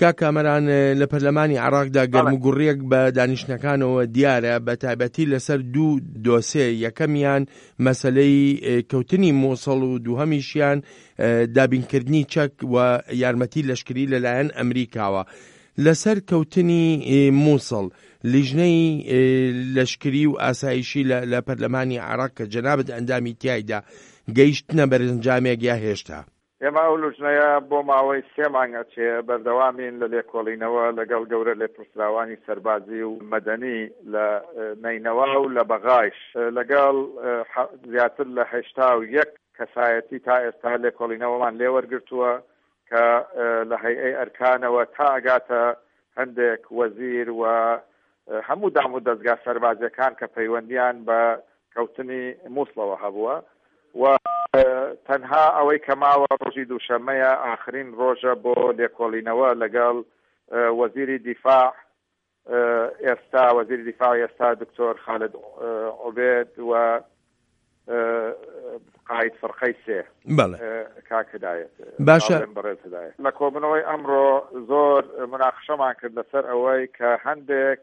کاک کامەران لە پەرلەمانی عێراقدا گەرموگوڕیەک بە دانیشتنەکانەوە دیارە بە تایبەتی لەسەر دوو دۆسێ یەکەمیان مەسەلەی کەوتنی موسڵ و دووهەمیشیان دابینکردنی چەک و یارمەتی لەشکری لەلایەن ئەمریکاوە لەسەر کەوتنی موسڵ لیژنەی لەشکری و ئاسایشی لە پەرلەمانی عێراق کە جەنابت ئەندامی تیایدا گەیشتنە بەرەنجامێک یا هێشتا؟ ئێمە ئەو لوجنەیە بۆ ماوەی سێ مانگ ئەچێ بەردەوامین لە لێکۆڵینەوە لەگەڵ گەورە لێپرسراوانی سەربازی و مەدەنی لە نەینەوا و لە بەغایش لەگەڵ زیاتر لە 81 کەسایەتی تا ئێستا لێکۆڵینەوەمان لێوەرگرتووە کە لە هەیئەی ئەرکانەوە تا ئەگاتە هەندێک وەزیر و هەموو دام و دەزگا سەربازیەکان کە پەیوەندیان بە کەوتنی موسڵەوە هەبووە و تەنها ئەوەی کە ماوە ڕۆژی دووشەممەیە ئاخرین ڕۆژە بۆ لێکۆڵینەوە لەگەڵ وەزیری دیفاع ئێستا وەزیری دیفاع ئێستا دکتۆر خالد عوبێد و قاید فرقەی سێ بەڵێ کاک هدایەت باشە بەڕێز هدایەت لە کۆبنەوەی ئەمڕۆ زۆر مناقشەمان کرد لەسەر ئەوەی کە هەندێک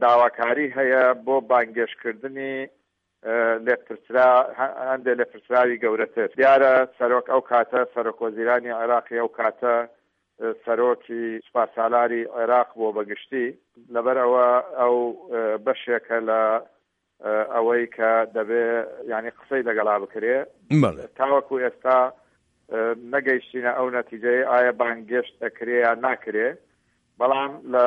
داواکاری هەیە بۆ بانگێشتکردنی لێپرسرا هەندێک لێپرسراوی گەورەتر. دیارە سەرۆک ئەو کاتە سەرۆک وەزیرانی عێراقی ئەو کاتە سەرۆکی سوپاسالاری عێراق بووە بە گشتی، لەبەر ئەوە ئەو بەشێکە لە ئەوەی کە دەبێ یانی قسەی لەگەڵا بکرێ. تاوەکو ئێستا نەگەیشتینە ئەو نەتیجەیە ئایا بانگێشت ئەکرێ یان ناکرێ، بەڵام لە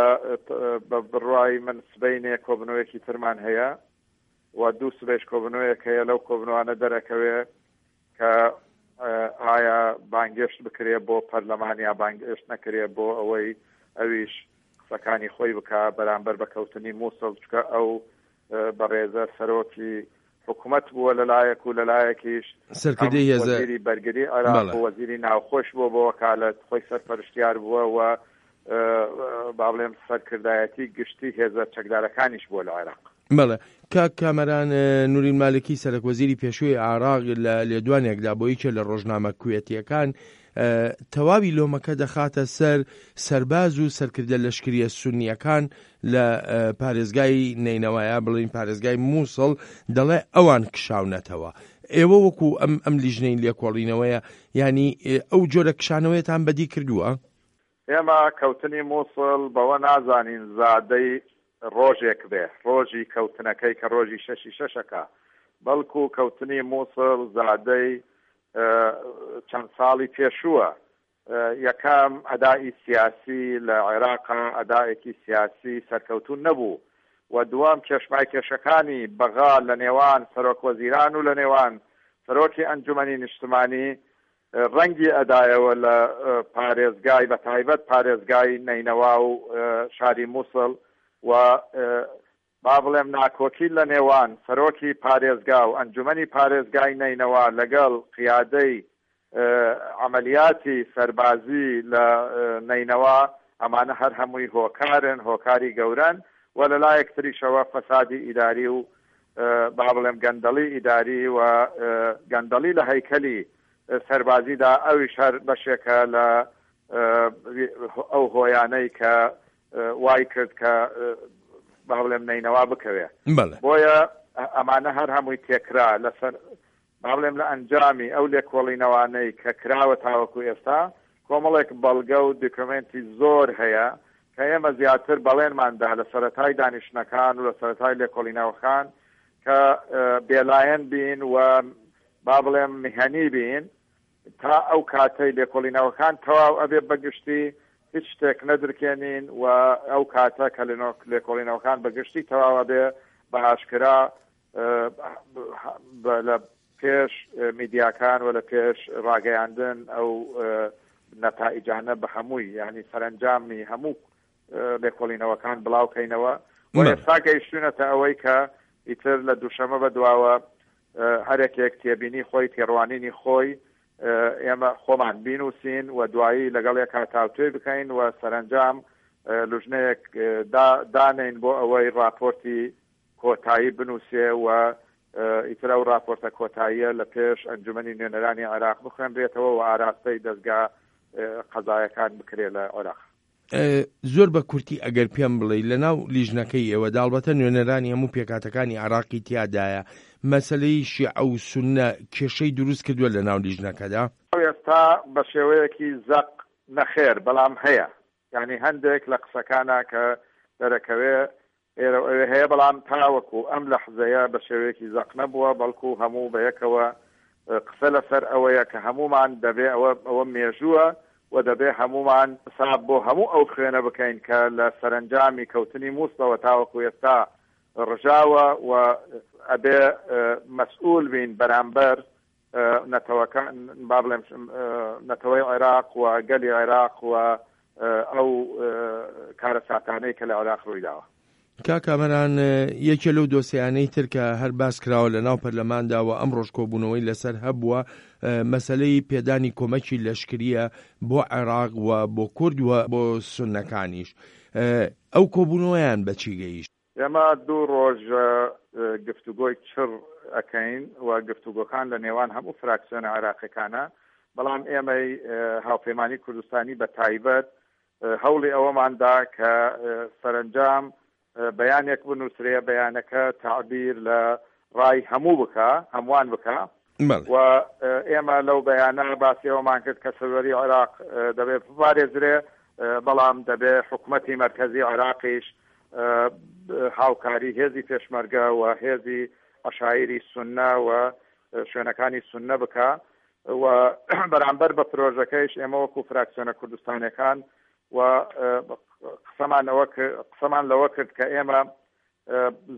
بە بڕوای من سبەینێ کۆبنەوەیەکی ترمان هەیە و دوو سبەیش کۆبنەوەیەک هەیە لەو کۆبنەوانە دەرەکەوێ کە ئایا بانگێشت بکرێ بۆ پەرلەمان یا بانگێشت نەکرێ بۆ ئەوەی ئەویش قسەکانی خۆی بکا بەرامبەر بە کەوتنی مووسڵ چکە ئەو بەڕێزە سەرۆکی حکومەت بووە لەلایەک و لەلایەکیش سەرکردەی هێزە وەزیری بەرگری عێراق و وەزیری ناوخۆش بووە بۆ وەکالەت خۆی سەرپەرشتیار بووە و با بڵێم سەرکردایەتی گشتی هێزە چەکدارەکانیش بووە لە عێراق. بەڵێ کاک کامەران نوری مالکی سەرەک وەزیری پێشووی عێراق لە لێدوانێکدا بۆ یەکێ لە ڕۆژنامە کوێتیەکان تەواوی لۆمەکە دەخاتە سەر سەرباز و سەرکردە لەشکریە سونیەکان لە پارێزگای نەینەوا یا بڵێین پارێزگای مووسڵ دەڵێ ئەوان کشاونەتەوە. ئێوە وەکو ئەم ئەم لیژنەی لێکۆڵینەوەیە یانی ئەو جۆرە کشانەوەیەتان بەدی کردووە؟ ئێمە کەوتنی مووسڵ بەوە نازانین زادەی ڕۆژێک بێ، ڕۆژی کەوتنەکەی کە ڕۆژی شەشی شەشەکە، بەڵکو کەوتنی مووسڵ زادەی چەند ساڵی پێشووە. یەکەم، ئەدائی سیاسی لە عێراقا ئەدائێکی سیاسی سەرکەوتوو نەبوو و دووەم، کێشمایکێشەکانی بەغا لە نێوان سەرۆک وەزیران و لە نێوان سەرۆکی ئەنجومەنی نیشتمانی ڕەنگی ئەدایەوە لە پارێزگای بە تایبەت پارێزگای نەینەوا و شاری موسڵ و با بڵێم ناکۆکی لە نێوان سەرۆکی پارێزگا و ئەنجومەنی پارێزگای نەینەوا لەگەڵ قیادەی عەمەلیاتی سەربازی لە نەینەوا ئەمانە هەر هەمووی هۆکارن، هۆکاری گەورەن و لە لایەک تریشەوە فەسادی ئیداری و با بڵێم گەندەڵی ئیداری و گەندەڵی لە هەیکەلی سەربازیدا ئەویش هەر بەشێکە لە ئەو هۆیانەی کە وای کرد کە با بڵێم نەینەوا بکەوێ. بۆیە ئەمانە هەر هەمووی تێکرا لەسەر با بڵێم لە ئەنجامی ئەو لێکۆڵینەوانەی کە کراوە تاوەکو ئێستا کۆمەڵێک بەڵگە و دۆکۆمێنتی زۆر هەیە کە ئێمە زیاتر بەڵێنمان دا لە سەرەتای دانیشتنەکان و لە سەرەتای لێکۆڵینەوەکان کە بێلایەن بین و با بڵێم میهەنی بین تا ئەو کاتەی لێکۆڵینەوەکان تەواو ئەبێ بە گشتی هیچ شتێک نەدرکێنین و ئەو کاتە کە لێکۆڵینەوەکان بە گشتی تەواو ئەبێ بە ئاشکرا لە پێش میدیاکان و لە پێش ڕاگەیاندن ئەو نەتائیجانە بە هەمووی یعنی سەرەنجامی هەموو لێکۆڵینەوەکان بڵاو کەینەوە و ئێستا گەیشتوینەتە ئەوەی کە ئیتر لە دووشەمە بە دواوە هەرێکێک تێبینی خۆی تێڕوانینی خۆی ئێمە خۆمان بینوسین و دوایی لەگەڵ یەکا تاوتوێ بکەین و سەرەنجام لوژنەیەک دانین بۆ ئەوەی راپۆرتی کۆتایی بنووسێ و ئیتر ئەو راپۆرتە کۆتاییە لە پێش ئەنجومەنی نوێنەرانی عێراق بخوێنرێتەوە و ئاراستەی دەزگا قەزایەکان بکرێ لە عێراق. زۆر بە کورتی ئەگەر پێم بڵێی لە ناو لیژنەکەی ئێوەدا ئەڵبەتە نوێنەرانی هەموو پێکهاتەکانی عێراقی تیادایە، مەسەلەی شیعە و سوننە کێشەی دروست کردووە لە ناو لیژنەکەدا؟ ئێستا بە شێوەیەکی زەق نەخێر، بەڵام هەیە. یانی هەندێک لە قسەکانا کە دەرەکەوێ ئێرە و ئەوێ هەیە، بەڵام تاوەکو ئەم لەحزەیە بە شێوەیەکی زەق نەبووە، بەڵکو هەموو بەیەکەوە قسە لەسەر ئەوەیە کە هەموومان دەبێ ئەوە ئەوە مێژووە و دەبێ هەموومان حساب بۆ هەموو ئەو خوێنە بکەین کە لە سەرەنجامی کەوتنی موسڵەوە تاوەکو ئێستا ڕژاوە و ئەبێ مەسئول بین بەرامبەر نەتەوەکان با بڵێم نەتەوەی عێراق و گەلی عێراق و ئەو کارەساتانەی کە لە عێراق ڕوویداوە. کاک کامەران یەکێ لەو دۆسیانەی تر کە هەر باس کراوە لە ناو پەرلەماندا و ئەمڕۆش کۆبوونەوەی لەسەر هەبووە مەسەلەی پێدانی کۆمەکی لەشکریە بۆ عێراق و بۆ کورد و بۆ سوننەکانیش ئەو کۆبوونەوەیان بەچی گەیشت؟ ئێمە دوو ڕۆژە گفتوگۆی چڕ ئەکەین و گفتوگۆکان لە نێوان هەموو فراکسیۆنە عێراقیەکانە، بەڵام ئێمەی هاوپەیمانی کوردستانی بە تایبەت هەوڵی ئەوەمان دا کە سەرەنجام بەیانێک بنووسرێ، بەیانەکە تەعبیر لە ڕای هەموو بکا، هەمووان بکا و ئێمە لەو بەیانە باسی ئەوەمان کرد کە سەروەری عێراق دەبێ بپارێزرێ، بەڵام دەبێ حکومەتی مەرکەزی عێراقیش هاوکاری هێزی پێشمەرگە و هێزی عەشایری سوننە و شوێنەکانی سوننە بکا و بەرامبەر بە پرۆژەکەیش ئێمە وەکو فراکسیۆنە کوردستانیەکان و قسەمان ئەوە قسەمان لەوە کرد کە ئێمە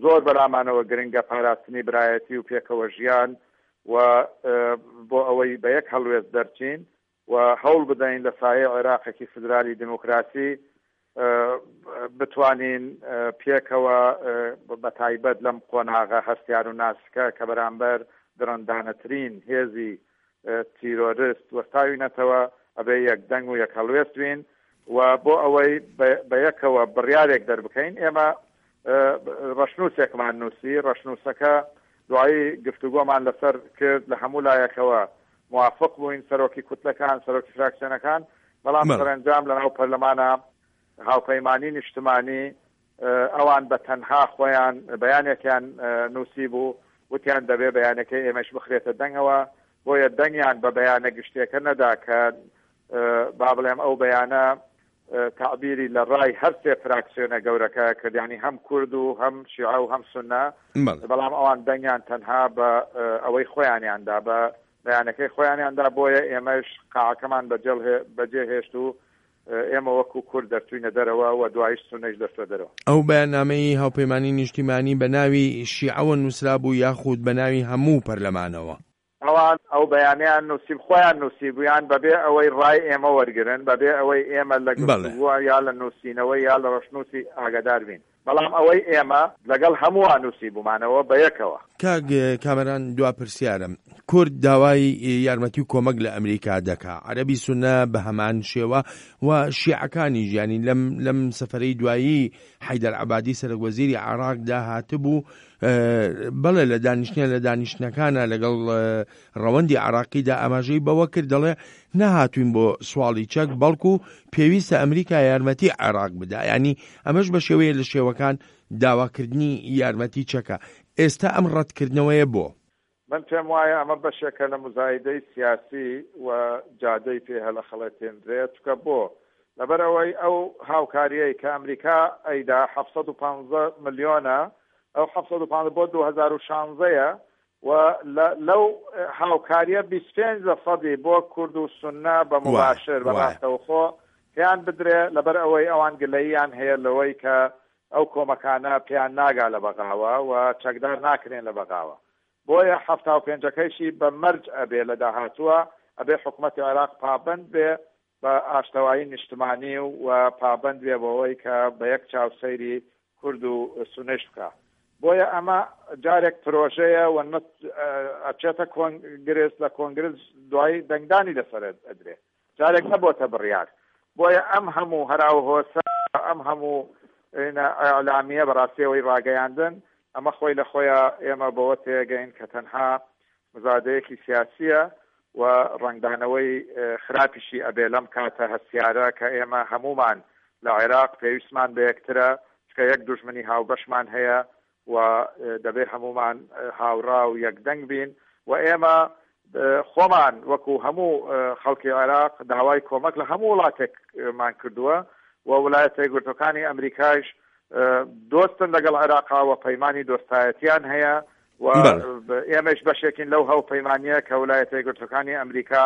زۆر بەلامانەوە گرنگە پاراستنی برایەتی و پێکەوە ژیان و بۆ ئەوەی بە یەک هەڵوێست دەرچین و هەوڵ بدەین لە سایەی عێراقێکی فیدرالی دیموکراسی بتوانین پێکەوە بە تایبەت لەم قۆناغە هەستیار و ناسکە کە بەرامبەر دڕندانەترین هێزی تیرۆرست وەستاوینەتەوە ئەبێ یەک دەنگ و یەک هەڵوێست بین و بۆ ئەوەی بە یەکەوە بڕیارێک دەربکەین ئێمە ڕەشنووسێکمان نووسی ڕەشنووسەکە دوایی گفتوگۆمان لەسەر کرد لە هەموو لایەکەوە موافق بووین سەرۆکی کوتلەکان، سەرۆکی فراکسیۆنەکان، بەڵام سەرەنجام لەناو پەرلەمانا هاوپەیمانی نیشتمانی ئەوان بە تەنها خۆیان بەیانێکیان نووسیبوو، وتیان دەبێ بەیانەکەی ئێمەش بخرێتە دەنگەوە، بۆیە دەنگیان بە بەیانە گشتیەکە نەدا کە با بڵێم ئەو بەیانە تەعبیری لە ڕای هەر سێ فراکسیۆنە گەورەکە کرد، یانی هەم کورد و هەم شیعە و هەم سوننە، بەڵام ئەوان دەنگیان تەنها بە ئەوەی خۆیانیان دا، بە بەیانەکەی خۆیانیان دا، بۆیە ئێمەش قاعەکەمان بەجێ هێشت و ئێمە وەکو کورد دەرچووینە دەرەوە و دوایش سوننەیش دەرچووە دەرەوە. ئەو بەیاننامەی هاوپەیمانی نیشتیمانی بە ناوی شیعەوە نووسرابوو یاخود بە ناوی هەموو پەرلەمانەوە؟ ئەوان ئەو بەیانەیان نووسی، خۆیان نووسیبوویان بەبێ ئەوەی ڕای ئێمە وەرگرن، بەبێ ئەوەی ئێمە لە گفتوگۆ یا لە نووسینەوەی یا لە ڕەشنووسی ئاگادار بین. بەڵام ئەوەی ئێمە لەگەڵ هەمووان نووسیبوومانەوە بە یەکەوە. کاک کامەران دوا پرسیارم، کورد داوای یارمەتی و کۆمەک لە ئەمریکا دەکا، عەرەبی سوننە بە هەمان شێوە و شیعەکانیش، یانی لەم لەم سەفەرەی دوایی حەیدەر عەبادی سەرەک وەزیری عێراقدا هاتبوو، بەڵێ لە دانیشتنە لە دانیشتنەکانە لەگەڵ ڕەوەندی عراقیدا ئاماژەی بەوە کرد دەڵێ نەهاتوین بۆ سواڵی چەک بەڵکو پێویستە ئەمریکا یارمەتی عێراق بدا ینی ئەمەش بە شێوەیە لە شێوەکان داواکردنی یارمەتی چەکە ئێستا ئەم ڕەتکردنەوەیە بۆ؟ من پێم وایە ئەمە بەشێکە لە موزایدەی سیاسی و جادەی پێ هەلەخەڵەتێنرێ چونکە بۆ؟ لەبەر ئەوەی ئەو هاوکاریەی کە ئەمریکا ئەیدا 715 ملیۆنە ئەو 715 بۆ 2016 یە و لەو هاوکاریە 25 لە سەدی بۆ کورد و سوننە بە موباشر بە ڕاستەوخۆ پێیان بدرێ لەبەر ئەوەی ئەوان گلەییان هەیە لەوەی کە ئەو کۆمەکانە پێیان ناگا لە بەغاوە و چەکدار ناکرێن لە بەغاوە بۆیە 75 ەکەیشی بە مەرج ئەبێ لە داهاتووە ئەبێ حکومەتی عێراق پابەند بێ بە ئاشتەوایی نیشتمانی و پابەند بێ بەوەی کە بە یەک چاو سەیری کورد و سوننەیش بکا. بۆیە ئەمە جارێک پرۆژەیە و ئەچێتە کۆنگرس، لە کۆنگرس دوایی دەنگدانی لەسەر ئەدرێ. جارێک نەبۆتە بڕیار. بۆیە ئەم هەموو هەراوهۆسە، ئەم هەموو ئیعلامییە بەڕاستی ئەوەی ڕاگەیاندن، ئەمە خۆی لە خۆیا ئێمە بەوە تێگەین کە تەنها مزادەیەکی سیاسییە. و ڕەنگدانەوەی خراپیشی ئەبێ لەم کاتە هەستیارە کە ئێمە هەموومان لە عێراق پێویستمان بە یەکترە، چونکە یەک دوژمنی هاوبەشمان هەیە و دەبێ هەموومان هاوڕا و یەکدەنگ بین و ئێمە خۆمان وەکو هەموو خەڵکی عێراق داوای کۆمەک لە هەموو وڵاتێکمان کردووە و ولایەتە یەکگرتووەکانی ئەمریکایش دۆستن لەگەڵ عێراقا و پەیمانی دۆستایەتیان هەیە و ئێمەش بەشێکین لەو هاوپەیمانییە کە ولایەتە یەکگرتووەکانی ئەمریکا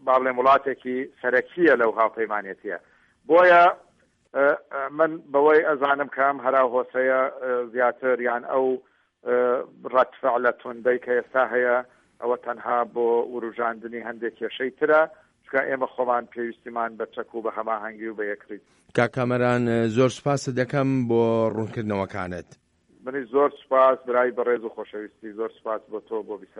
با بڵێم وڵاتێکی سەرەکییە لەو هاوپەیمانێتیە. بۆیە من بەوەی ئەزانم کە ئەم هەراو هۆسەیە زیاتر یان ئەو ڕەد فعلە توندەی کە ئێستا هەیە ئەوە تەنها بۆ وروژاندنی هەندێک کێشەی ترە، چونکە ئێمە خۆمان پێویستیمان بە چەک و بە هەماهەنگی و بە یەکڕیزی. کاک کامەران زۆر سوپاست دەکەم بۆ ڕوونکردنەوەکانت. منیش زۆر سوپاس برای بەڕێز و خۆشەویستی زۆر سوپاس بۆ تۆ بۆ بیسەر.